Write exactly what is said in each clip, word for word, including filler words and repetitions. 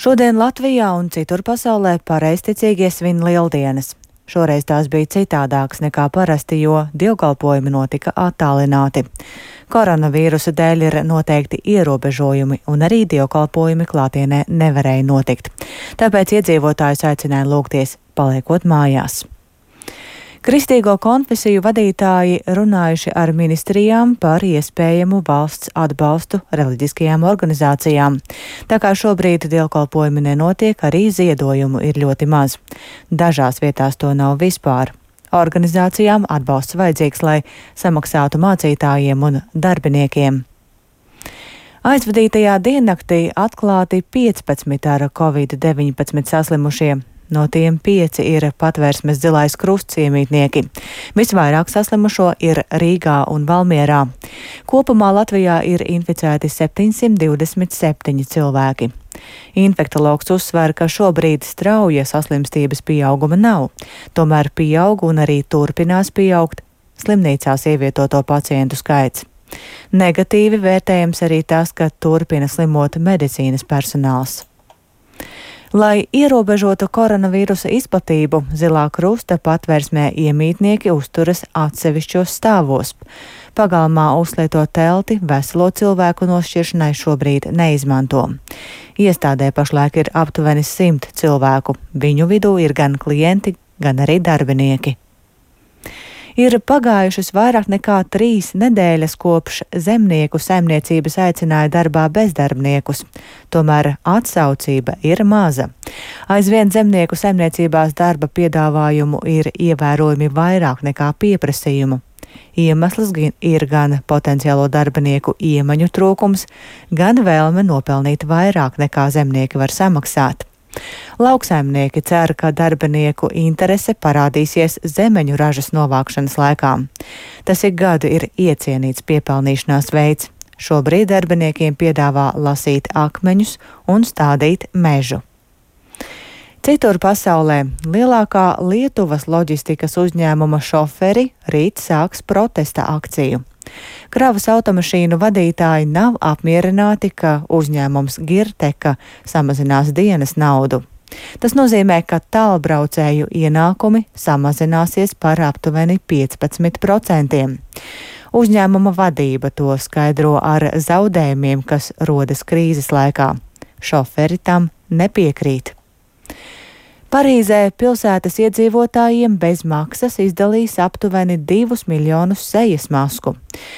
Šodien Latvijā un citur pasaulē pareizticīgie svin lieldienas. Šoreiz tās bija citādākas nekā parasti, jo dievkalpojumi notika attālināti. Koronavīrusa dēļ ir noteikti ierobežojumi, un arī dievkalpojumi klātienē nevarēja notikt. Tāpēc iedzīvotājus aicināja lūgties, paliekot mājās. Kristīgo konfesiju vadītāji runājuši ar ministrijām par iespējamu valsts atbalstu reliģiskajām organizācijām. Tā kā šobrīd dievkalpojumi nenotiek, arī ziedojumu ir ļoti maz. Dažās vietās to nav vispār. Organizācijām atbalsts vajadzīgs, lai samaksātu mācītājiem un darbiniekiem. Aizvadītajā diennaktī atklāti piecpadsmit ar covid deviņpadsmit saslimušie. No tiem pieci ir Patvērsmes Zilais Krusts iemītnieki. Visvairāk saslimušo ir Rīgā un Valmierā. Kopumā Latvijā ir inficēti septiņsimt divdesmit septiņi cilvēki. Infektologs uzsver, ka šobrīd strauja saslimstības pieauguma nav. Tomēr pieaug un arī turpinās pieaugt slimnīcās ievietoto pacientu skaits. Negatīvi vērtējams arī tas, ka turpina slimot medicīnas personāls. Lai ierobežotu koronavīrusa izplatību, Zilā Krusta Patvērsmē iemītnieki uzturas atsevišķos stāvos. Pagalmā uzlieto telti veselo cilvēku nošķiršanai šobrīd neizmanto. Iestādē pašlaik ir aptuveni simt cilvēku. Viņu vidū ir gan klienti, gan arī darbinieki. Ir pagājušas vairāk nekā trīs nedēļas kopš zemnieku saimniecības aicināja darbā bezdarbniekus. Tomēr atsaucība ir maza. Aizvien zemnieku saimniecībās darba piedāvājumu ir ievērojami vairāk nekā pieprasījumu. Iemesls ir gan potenciālo darbinieku iemaņu trūkums, gan vēlme nopelnīt vairāk nekā zemnieki var samaksāt. Lauksaimnieki cer, ka darbinieku interese parādīsies zemeņu ražas novākšanas laikā. Tas ik gadu ir iecienīts piepelnīšanās veids. Šobrīd darbiniekiem piedāvā lasīt akmeņus un stādīt mežu. Citur pasaulē lielākā Lietuvas loģistikas uzņēmuma šoferi rīt sāks protesta akciju. Kravas automašīnu vadītāji nav apmierināti, ka uzņēmums Girteka samazinās dienas naudu. Tas nozīmē, ka tālbraucēju ienākumi samazināsies par aptuveni piecpadsmit procentiem. Uzņēmuma vadība to skaidro ar zaudējumiem, kas rodas krīzes laikā. Šoferi tam nepiekrīt. Parīzē pilsētas iedzīvotājiem bez maksas izdalīs aptuveni divus miljonus sejas masku.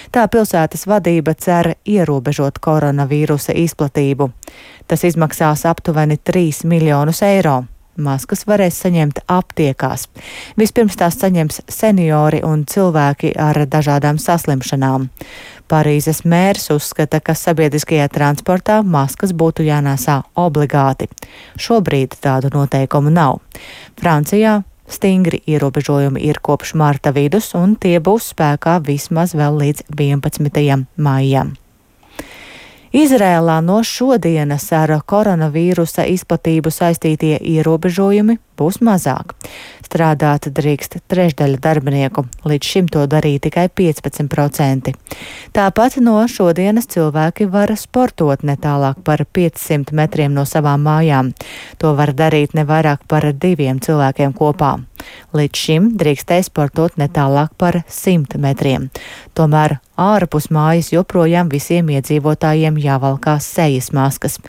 Tā pilsētas vadība cer ierobežot koronavīrusa izplatību. Tas izmaksās aptuveni trīs miljonus eiro. Maskas varēs saņemt aptiekās. Vispirms tās saņems seniori un cilvēki ar dažādām saslimšanām. Parīzes mērs uzskata, ka sabiedriskajā transportā maskas būtu jānēsā obligāti. Šobrīd tādu noteikumu nav. Francijā stingri ierobežojumi ir kopš marta vidus, un tie būs spēkā vismaz vēl līdz vienpadsmitajam maijam. Izrēlā no šodienas ar koronavīrusa izplatību saistītie ierobežojumi būs mazāk. Strādāt drīkst trešdaļa darbinieku, līdz šim to darīja tikai piecpadsmit procenti. Tāpat no šodienas cilvēki var sportot ne tālāk par piecsimt metriem no savām mājām. To var darīt ne vairāk par diviem cilvēkiem kopā. Līdz šim drīkstēja sportot ne tālāk par simt metriem. Tomēr ārpus mājas joprojām visiem iedzīvotājiem jāvalkā sejas maskas.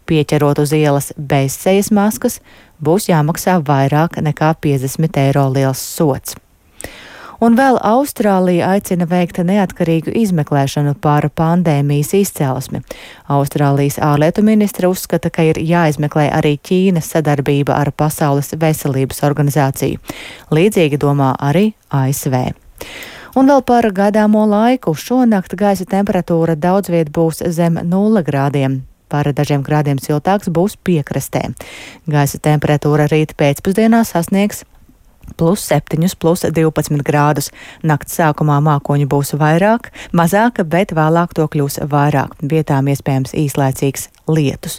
Pieķerot uz ielas bez sejas maskas, būs jāmaksā vairāk nekā piecdesmit eiro liels sods. Un vēl Austrālija aicina veikt neatkarīgu izmeklēšanu par pandēmijas izcelsmi. Austrālijas ārlietu ministre uzskata, ka ir jāizmeklē arī Ķīnas sadarbība ar Pasaules veselības organizāciju. Līdzīgi domā arī A S V. Un vēl par gaidāmo laiku. Šonakt gaisa temperatūra daudz viet būs zem nulle grādiem. Par dažiem grādiem siltāks būs piekrastē. Gaisa temperatūra rīt pēcpusdienā sasniegs plus septiņus, plus divpadsmit grādus. Nakts sākumā mākoņu būs vairāk, mazāka, bet vēlāk to kļūs vairāk. Vietām iespējams īslaicīgs lietus.